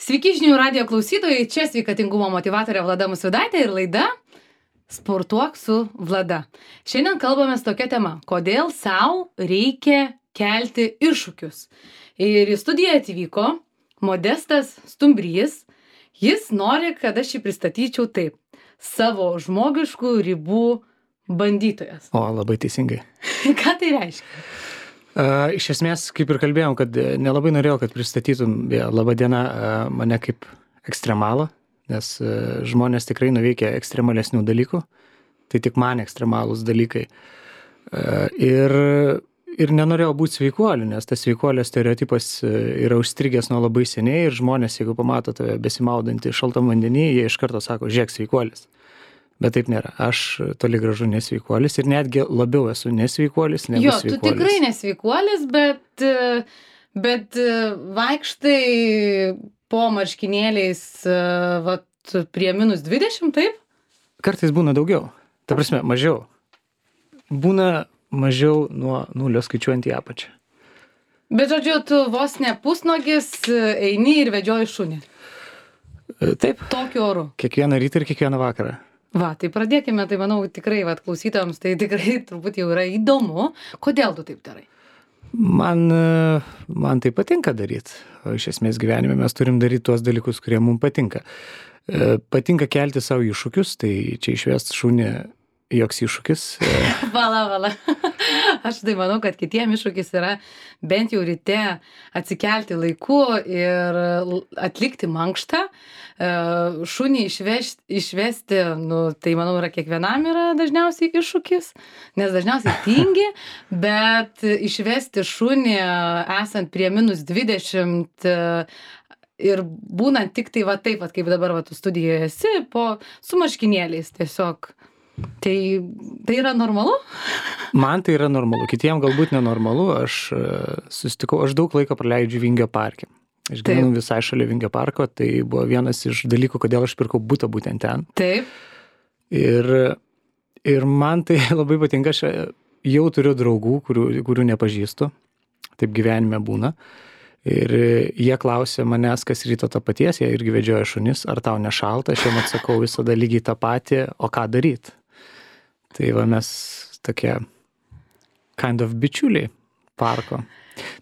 Sveiki žinių radijo klausytojai, čia sveikatingumo motyvatorė Vlada Musvidaitė ir laida Sportuok su Vlada. Šiandien kalbame tokia tema, kodėl sau reikia kelti iššūkius. Ir į studiją atvyko Modestas Stumbrys. Jis nori, kad aš jį pristatyčiau taip. Savo žmogiškų ribų bandytojas. O, labai teisingai. Ką tai reiškia? Iš esmės, kaip ir kalbėjom, kad nelabai norėjau, kad pristatytum labą dieną mane kaip ekstremalą, nes žmonės tikrai nuveikia ekstremalesnių dalykų, tai tik man ekstremalūs dalykai. Ir nenorėjau būti sveikuoliu, nes tas sveikuolio stereotipas yra užstrigęs nuo labai seniai ir žmonės, jeigu pamato tave besimaudantį šaltam vandenį, jie iš karto sako, žiūrėk, sveikuolis. Bet taip nėra. Aš toli gražu nesveikuolis ir netgi labiau esu nesveikuolis negu sveikuolis. Jo, tu tikrai nesveikuolis, bet vaikštai po marškinėliais prie -20, taip? Kartais būna daugiau. Ta prasme, mažiau. Būna mažiau nuo 0 skaičiuojant į apačią. Bet žodžiu, tu vos ne pusnogis eini ir vedžioji šunį. Taip. Tokiu oru. Kiekvieną rytą ir kiekvieną vakarą. Va, tai pradėkime, tai manau tikrai, klausytojams tai tikrai turbūt jau yra įdomu. Kodėl tu taip darai? Man tai patinka daryti. O iš esmės gyvenime mes turim daryti tuos dalykus, kurie mums patinka. Patinka kelti savo iššūkius, tai čia išvest šunį joks iššūkis. Vala. Aš tai manau, kad kitiem iššūkis yra bent jau ryte atsikelti laiku ir atlikti mankštą. Šunį išvesti, tai manau, kiekvienam yra dažniausiai iššūkis, nes dažniausiai tingi, bet išvesti šunį esant prie -20 ir būnant tik tai taip, kaip dabar tu studijoje esi, su marškinėliais tiesiog. Tai yra normalu? Man tai yra normalu, kitiem galbūt nenormalu. Aš daug laiko praleidžiu Vingio parke. Aš gyvenu visai šalia Vingio parko, tai buvo vienas iš dalykų, kodėl aš pirkau butą būtent ten. Taip. Ir man tai labai patinka, aš jau turiu draugų, kurių nepažįstu, taip gyvenime būna. Ir jie klausė manęs, kas ryto to paties, jie irgi vedžioja šunis, ar tau nešalta, aš jiem atsakau visada lygiai tą patį, o ką daryti. Tai va mes tokie kind of bičiuliai parko.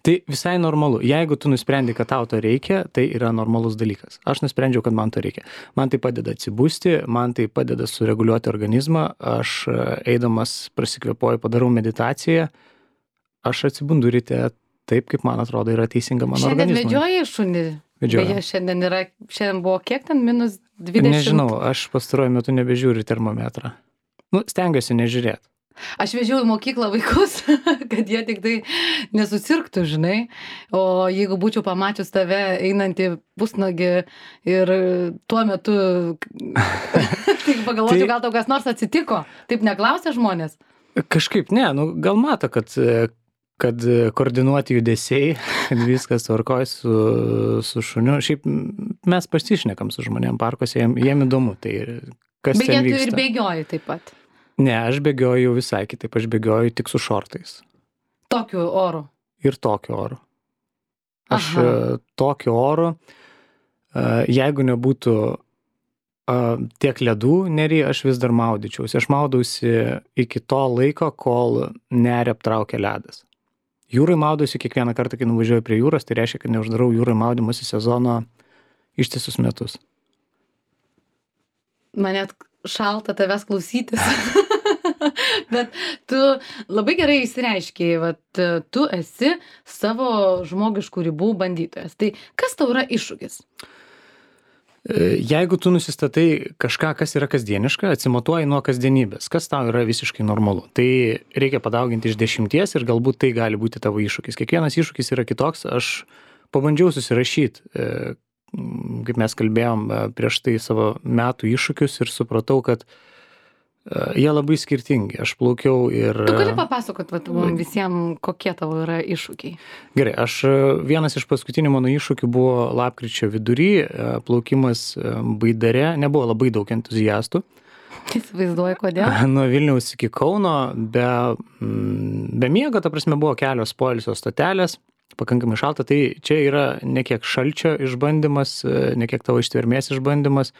Tai visai normalu. Jeigu tu nusprendi, kad tau to reikia, tai yra normalus dalykas. Aš nusprendžiau, kad man to reikia. Man tai padeda atsibusti, man tai padeda sureguliuoti organizmą. Aš eidamas prasikvėpuoju, padarau meditaciją. Aš atsibundu ryte taip, kaip man atrodo yra teisinga mano organizmui. Šiandien vedžioji šunį? Vedžioju. Beje, šiandien buvo kiek ten -20? Nežinau, aš pastaruoju metu nebežiūriu termometrą. Stengiuosi nežiūrėti. Aš vežiau į mokyklą vaikus, kad jie tik tai nesusirgtų, žinai. O jeigu būčiau pamačius tave einantį pusnagį ir tuo metu, tai pagalvočiau, gal tau kas nors atsitiko. Taip neklausia žmonės? Kažkaip ne, gal mato, kad koordinuoti judesiai, kad viskas tvarkoj su šuniu. Šiaip mes pasišnekam su žmonėm parkuose, jiem įdomu, tai kas ten vyksta. Bet tu ir bėgioji taip pat? Ne, aš bėgioju visai kitaip, aš bėgioju tik su šortais. Tokiu oru? Ir tokiu oru. Aš tokiu oru, jeigu nebūtų tiek ledų nery, aš vis dar maudyčiausi. Aš maudausi iki to laiko, kol nerį aptraukia ledas. Jūrai maudausi kiekvieną kartą, kai nuvažiuoju prie jūros, tai reiškia, kad neuždarau jūrai maudymosi sezono ištisus metus. Man net šalta tavęs klausytis. Bet tu labai gerai išsireiškei, tu esi savo žmogiškų ribų bandytojas. Tai kas tau yra iššūkis? Jeigu tu nusistatai kažką, kas yra kasdieniška, atsimatuoji nuo kasdienybės, kas tau yra visiškai normalu, tai reikia padauginti iš 10 ir galbūt tai gali būti tavo iššūkis. Kiekvienas iššūkis yra kitoks. Aš pabandžiau susirašyti, kaip mes kalbėjom prieš tai, savo metų iššūkius ir supratau, kad jie labai skirtingi. Aš plaukiau ir... Tu gali papasakot visiems, kokie tavo yra iššūkiai? Gerai, vienas iš paskutinių mano iššūkių buvo lapkričio vidury, plaukimas Baidare, nebuvo labai daug entuziastų. Įsivaizduoju, kodėl? Nuo Vilniaus iki Kauno, be miego, ta prasme, buvo kelios poilsio stotelės. pakankamai šalta, tai čia yra ne kiek šalčio išbandymas, ne kiek tavo ištvermės išbandymas.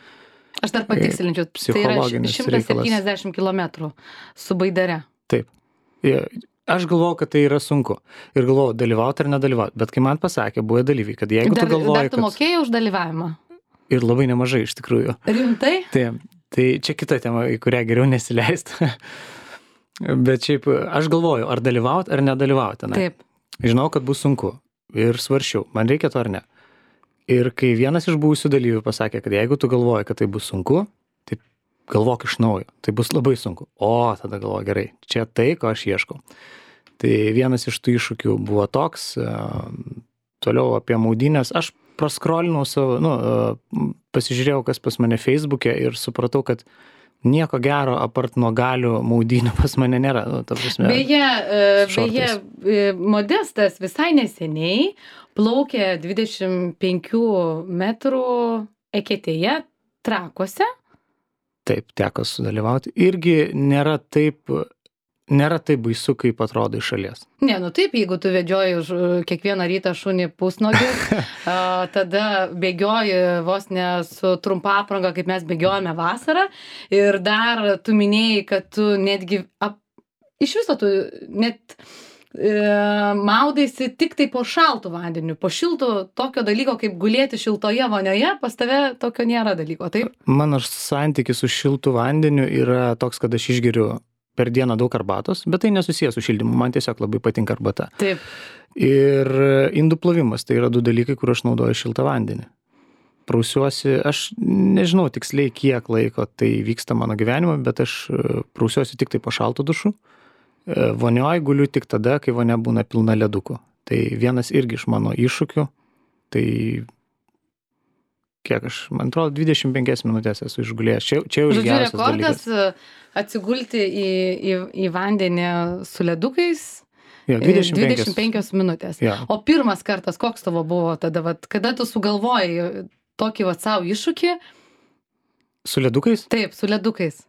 Aš dar patikslinčiau, tai yra 170 km su baidare. Taip. Aš galvojau, kad tai yra sunku. Ir galvojau, dalyvauti ar nedalyvauti. Bet kai man pasakė, buvo dalyviai, kad jeigu tu galvoji, dar tu mokėjai už dalyvavimą? Ir labai nemažai iš tikrųjų. Rimtai? Tai čia kita tema, į kurią geriau nesileisti. Bet šiaip aš galvoju, ar dalyvauti ar nedalyvauti. Taip. Žinau, kad bus sunku. Ir svarsčiau, man reikia to ar ne. Ir kai vienas iš buvusių dalyvių pasakė, kad jeigu tu galvoji, kad tai bus sunku, tai galvok iš naujo. Tai bus labai sunku. O, tada galvoju, gerai, čia tai, ko aš ieškau. Tai vienas iš tų iššūkių buvo toks, toliau apie maudynės. Aš praskrolinau savo, pasižiūrėjau, kas pas mane Facebook'e ir supratau, kad nieko gero apart nuo galių maudynių pas mane nėra. Beje, Modestas visai neseniai plaukė 25 metrų eketėje Trakuose. Taip, teko sudalyvauti. Irgi nėra taip baisu, kaip atrodo iš šalies. Ne, taip, jeigu tu vedžioji kiekvieną rytą šunį pusnogį, tada bėgioji vos ne su trumpa apranga, kaip mes bėgiojame vasarą. Ir dar tu minėjai, kad tu netgi, iš viso tu net maudaisi tik tai po šaltų vandeniu. Po šiltų tokio dalyko, kaip gulėti šiltoje vonioje, pas tave tokio nėra dalyko, taip? Mano santykis su šiltu vandeniu yra toks, kad aš išgeriu per dieną daug arbatos, bet tai nesusijęs su šildymu, man tiesiog labai patinka arbata. Taip. Ir indų plovimas, tai yra 2 dalykai, kur aš naudoju šiltą vandenį. Prausiuosi, aš nežinau tiksliai, kiek laiko tai vyksta mano gyvenime, bet aš prausiuosi tik tai po šaltų dušų. Vonioj guliu tik tada, kai vonia būna pilna ledukų. Tai vienas irgi iš mano iššūkių, tai kiek aš, man atrodo, 25 minutės esu išgulėjęs. Čia jau ilgiausias dalykas. Rekordas atsigulti į vandenį su ledukais. Jo, 25 minutės. Ja. O pirmas kartas, koks tavo buvo tada, kada tu sugalvojai tokį savo iššūkį? Su ledukais? Taip, su ledukais.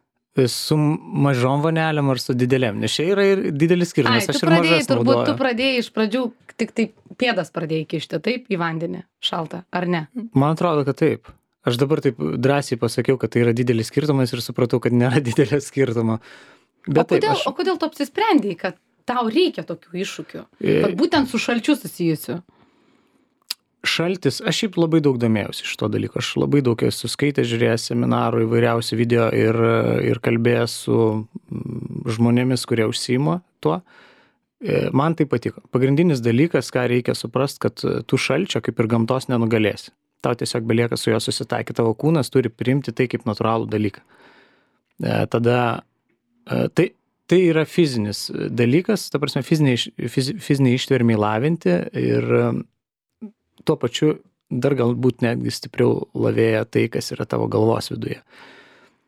Su mažom vonelėm ar su didelėm, nes čia yra ir didelis skirtumas. Aš ir mažas naudoju. Tu pradėjai iš pradžių, tik tai pėdas pradėjai kišti, taip, į vandenį šaltą, ar ne? Man atrodo, kad taip. Aš dabar taip drąsiai pasakiau, kad tai yra didelis skirtumas ir supratau, kad nėra didelio skirtumo. Bet o kodėl tu apsisprendėjai, kad tau reikia tokių iššūkių? Būtent su šalčiu susijusiu. Šaltis, aš šiaip labai daug domėjausi iš to dalyko. Aš labai daug esu skaitęs, žiūrėjęs seminarų, įvairiausių video ir kalbėjęs su žmonėmis, kurie užsiima tuo. Man tai patiko. Pagrindinis dalykas, ką reikia suprast, kad tu šalčio kaip ir gamtos nenugalėsi. Tau tiesiog belieka su juo susitaikyti. Tavo kūnas turi priimti tai kaip natūralų dalyką. Tada tai yra fizinis dalykas, ta prasme fiziniai ištvermiai lavinti ir tuo pačiu dar galbūt netgi stipriau lavėja tai, kas yra tavo galvos viduje.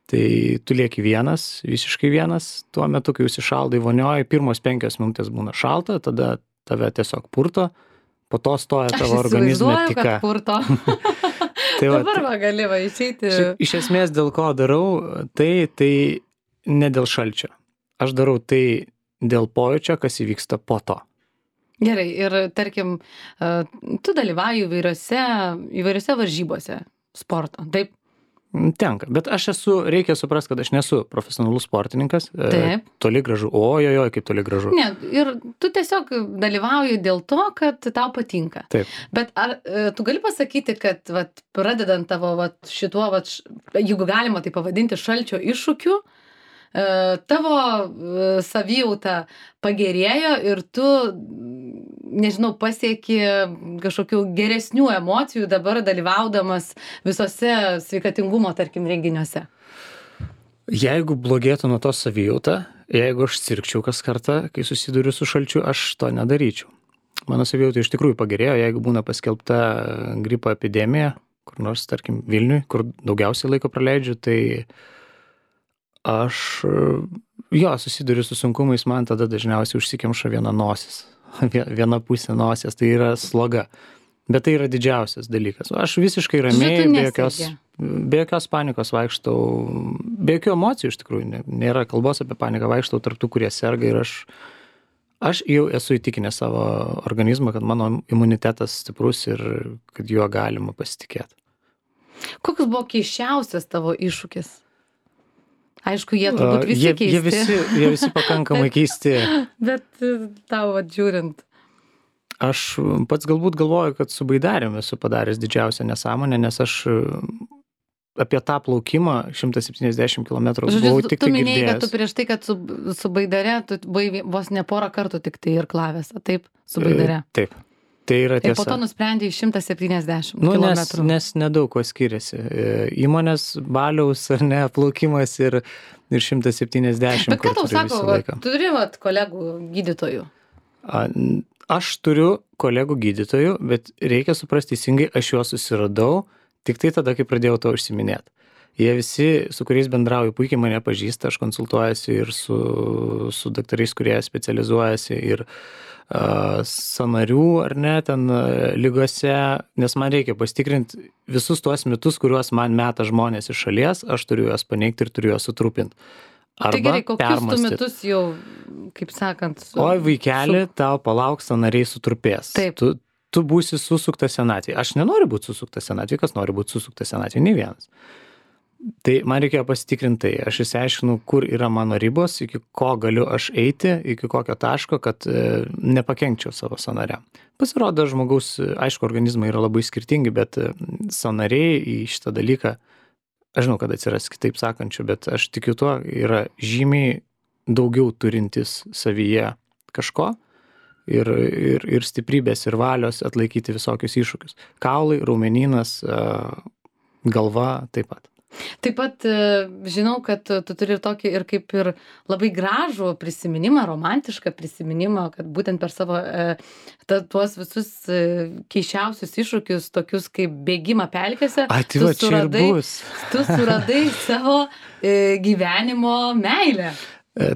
Tai tu lieki vienas, visiškai vienas, tuo metu, kai užsišaldai vonioje, pirmos 5 minutės būna šalta, tada tave tiesiog purto, po to stoja tavo organizme tika. Aš įsivaizduoju, kad purto. Dabar gali išeiti. Iš esmės, dėl ko darau, tai ne dėl šalčio. Aš darau tai dėl pojūčio, kas įvyksta po to. Gerai, ir tarkim, tu dalyvauji įvairiose varžybose sporto, taip? Tenka, bet reikia suprasti, kad aš nesu profesionalus sportininkas. Taip. Toli gražu, kaip toli gražu. Ne, ir tu tiesiog dalyvauji dėl to, kad tau patinka. Taip. Bet ar tu gali pasakyti, kad pradedant tavo šituo, jeigu galima tai pavadinti šalčio iššūkiu, tavo savijauta pagerėjo ir tu, nežinau, pasieki kažkokių geresnių emocijų dabar dalyvaudamas visose sveikatingumo, tarkim, renginiuose? Jeigu blogėtų nuo to savijauta, jeigu aš sirgčiau kas kartą, kai susiduriu su šalčiu, aš to nedaryčiau. Mano savijauta iš tikrųjų pagerėjo, jeigu būna paskelbta gripo epidemija, kur nors, tarkim, Vilniui, kur daugiausiai laiko praleidžiu, tai aš susiduriu su sunkumais, man tada dažniausiai užsikemša viena nosis, viena pusė nosies, tai yra sloga. Bet tai yra didžiausias dalykas. Aš visiškai ramiai, be jokios panikos vaikštau, be jokių emocijų iš tikrųjų, nėra kalbos apie paniką, vaikštau tarp tų, kurie serga ir Aš jau esu įtikinęs savo organizmą, kad mano imunitetas stiprus ir kad juo galima pasitikėti. Koks buvo keisčiausias tavo iššūkis? Aišku, jie turbūt visi keisti. Jie visi pakankamai keisti. Bet tau žiūrint. Aš pats galbūt galvoju, kad su baidariumi esu padaręs didžiausią nesąmonę, nes aš apie tą plaukimą 170 km buvau tik Tu tai minėjai, kad girdėjęs. tu prieš tai, kad su baidare, tu buvai vos ne porą kartų tik tai irklavėse, taip, su baidare. Taip, tai yra Ir tiesa. po to nusprendėjai 170 Nu, km. nes nedaug ko skiriasi. Įmonės baliaus ar ne, plaukimas ir 170 Bet ką tau kur turi sako, visą va, laiką. turi vat, kolegų gydytojų? Aš turiu kolegų gydytojų, bet reikia suprasti teisingai, aš juos susiradau tik tai tada, kai pradėjau to užsiminėti. Jie visi, su kuriais bendrauju, puikiai mane pažįsta, aš konsultuojasi ir su daktarais, kurie specializuojasi ir sąnarių ar ne, ten ligose, nes man reikia pasitikrinti visus tuos mitus, kuriuos man meta žmonės iš šalies, aš turiu juos paneigti ir turiu juos sutrupinti. Tai gerai, kokius tu metus jau, kaip sakant... Oi, vaikeli, tau palauk, sąnariai sutrupės. Taip. Tu būsi susuktas senatvėje. Aš nenoriu būti susuktas senatvėje, kas nori būti susuktas senatvėje, nei vienas. Tai man reikėjo pasitikrinti tai. Aš išsiaiškinu, kur yra mano ribos, iki ko galiu aš eiti, iki kokio taško, kad nepakenkčiau savo sąnariam. Pasirodo, žmogaus, aišku, organizmai yra labai skirtingi, bet sąnariai į šitą dalyką, aš žinau, kad atsiras kitaip sakančių, bet aš tikiu tuo, yra žymiai daugiau turintis savyje kažko ir stiprybės ir valios atlaikyti visokius iššūkius. Kaulai, raumenynas, galva taip pat. Taip pat žinau, kad tu turi ir tokį ir kaip ir labai gražų prisiminimą, romantišką prisiminimą, kad būtent per savo tuos visus keisčiausius iššūkius, tokius kaip bėgimą pelkėse, Tai va, čia ir bus. Tu suradai savo gyvenimo meilę.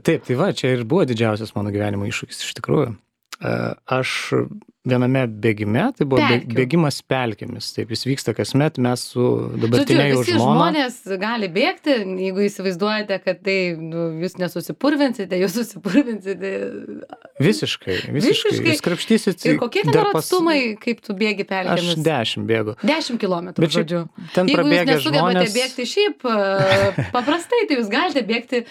Taip, tai va, čia ir buvo didžiausias mano gyvenimo iššūkis iš tikrųjų. Aš viename bėgime, tai buvo bėgimas pelkėmis, taip jis vyksta kasmet, mes su dabartinė jau žmona. Visi žmonės gali bėgti, jeigu įsivaizduojate, kad tai jūs nesusipurvinsite, jūs susipurvinsite. Visiškai. Jūs krapštysit. Ir kokie ten yra atstumai, kaip tu bėgi pelkėmis? Aš 10 bėgu. 10 kilometrų, žodžiu. Ten jeigu jūs prabėga nesugebate žmonės. Bėgti šiaip paprastai, tai jūs galite bėgti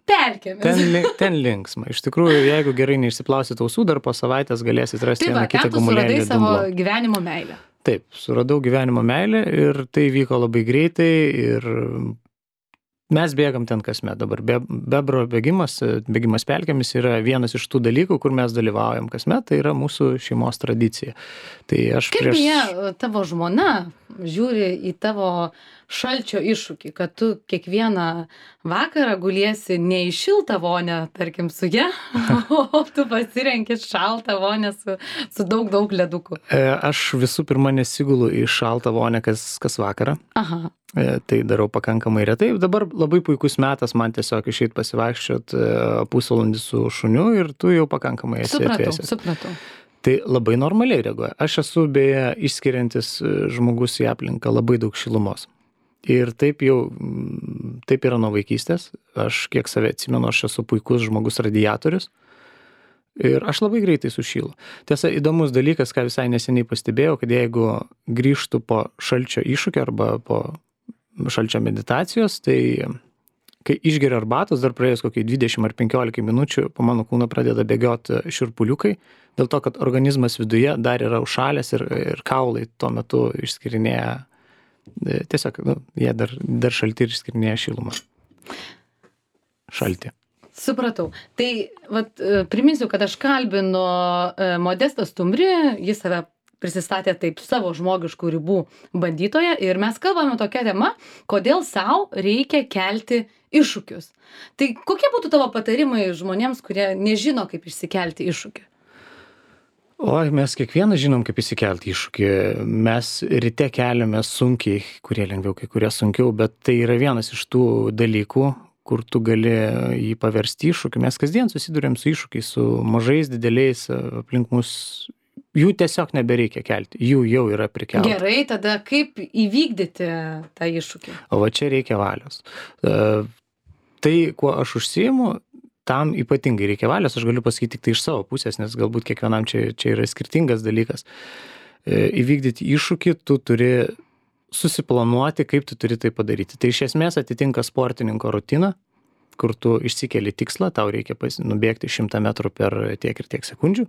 pelkėmis. Ten linksma. Iš tikrųjų, jeigu gerai neišsiplausit ausų, dar po savaitės galėsit rasti vieną kitą gumulėlį. Tai savo gyvenimo meilę. Taip, suradau gyvenimo meilę ir tai vyko labai greitai ir mes bėgam ten kasmet. Dabar bebro bėgimas pelkėmis yra vienas iš tų dalykų, kur mes dalyvaujam kasmet, tai yra mūsų šeimos tradicija. Tai aš Kaip beje, tavo žmona žiūri į tavo šalčio iššūkį, kad tu kiekvieną vakarą guliesi ne į šiltą vonę, tarkim, su ja, o tu pasirenki šaltą vonę su daug ledukų. Aš visų pirma nesigulu į šaltą vonę kas vakarą. Aha. Tai darau pakankamai retai. Dabar labai puikus metas man tiesiog išeit pasivaikščiot pusvalandį su šuniu ir tu jau pakankamai esi atvėsęs. Supratau. Tai labai normaliai reaguoja. Aš esu beje išskiriantis žmogus į aplinką labai daug šilumos. Ir taip yra nuo vaikystės. Aš kiek save atsimenu, aš esu puikus žmogus radiatorius. Ir aš labai greitai sušylu. Tiesa, įdomus dalykas, ką visai neseniai pastebėjau, kad jeigu grįžtų po šalčio iššūkio arba po šalčio meditacijos, tai kai išgeriu arbatos, dar praėjus kokiai 20 ar 15 minučių, po mano kūno pradeda bėgioti šiurpuliukai, dėl to, kad organizmas viduje dar yra užšalęs ir kaulai tuo metu išskirinėja, tiesiog, jie dar šalti ir išskirinėja šilumą. Šalti. Supratau. Tai priminsiu, kad aš kalbinu Modestą Stumbrį, jis save prisistatė taip savo žmogiškų ribų bandytoje ir mes kalbame tokia tema, kodėl sau reikia kelti iššūkius. Tai kokie būtų tavo patarimai žmonėms, kurie nežino, kaip išsikelti iššūkį? Oi, mes kiekvieną žinom, kaip įsikelti iššūkį. Mes ryte keliame sunkiai, kurie lengviau, kai kurie sunkiau, bet tai yra vienas iš tų dalykų, kur tu gali jį paversti iššūkį. Mes kasdien susiduriam su iššūkiais, su mažais, dideliais aplink mus. Jų tiesiog nebereikia kelti, jų jau yra prikelta. Gerai, tada kaip įvykdyti tą iššūkį? O va čia reikia valios. Tai, kuo aš užsiimu, tam ypatingai reikia valios, aš galiu pasakyti tik tai iš savo pusės, nes galbūt kiekvienam čia yra skirtingas dalykas. Įvykdyti iššūkį, tu turi susiplanuoti, kaip tu turi tai padaryti. Tai iš esmės atitinka sportininko rutiną, kur tu išsikeli tikslą, tau reikia nubėgti 100 metrų per tiek ir tiek sekundžių.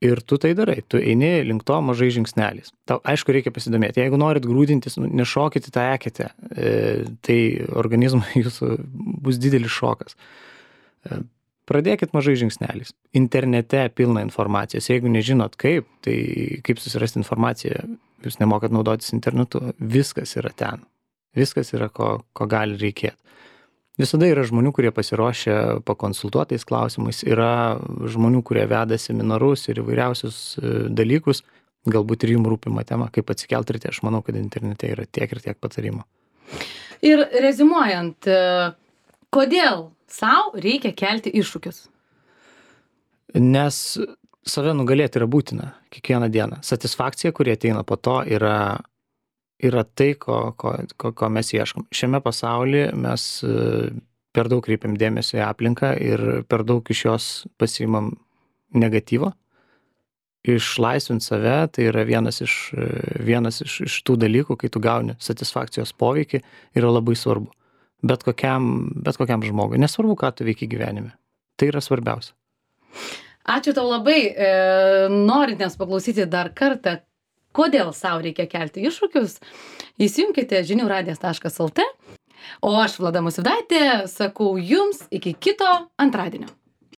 Ir tu tai darai, tu eini link to mažai žingsneliais. Tau, aišku, reikia pasidomėti. Jeigu norit grūdintis, nešokite tą eketę, tai organizmui jūsų bus didelis šokas. Pradėkit mažai žingsneliais. Internete pilna informacijos. Jeigu nežinot kaip, tai kaip susirasti informaciją, jūs nemokat naudotis internetu, viskas yra ten. Viskas yra, ko gali reikėti. Visada yra žmonių, kurie pasiruošia pakonsultuotais klausimais, yra žmonių, kurie veda seminarus ir įvairiausius dalykus, galbūt ir jums rūpima tema, kaip atsikelti ryte. Aš manau, kad internete yra tiek ir tiek patarimų. Ir rezimuojant, kodėl sau reikia kelti iššūkius? Nes save nugalėti yra būtina kiekvieną dieną. Satisfakcija, kuri ateina po to, yra tai, ko mes ieškom. Šiame pasaulyje mes per daug kreipiam dėmesio į aplinką ir per daug iš jos pasiimam negatyvo. Išlaisvinti save, tai yra vienas iš tų dalykų, kai tu gauni satisfakcijos poveikį, yra labai svarbu. Bet kokiam žmogui. Nesvarbu, ką tu veiki gyvenime. Tai yra svarbiausia. Ačiū tau labai. Norint nes paklausyti dar kartą, kodėl sau reikia kelti iššūkius, įsijunkite žiniųradijas.lt. O aš, Vlada Musvydaitė, sakau jums iki kito antradienio.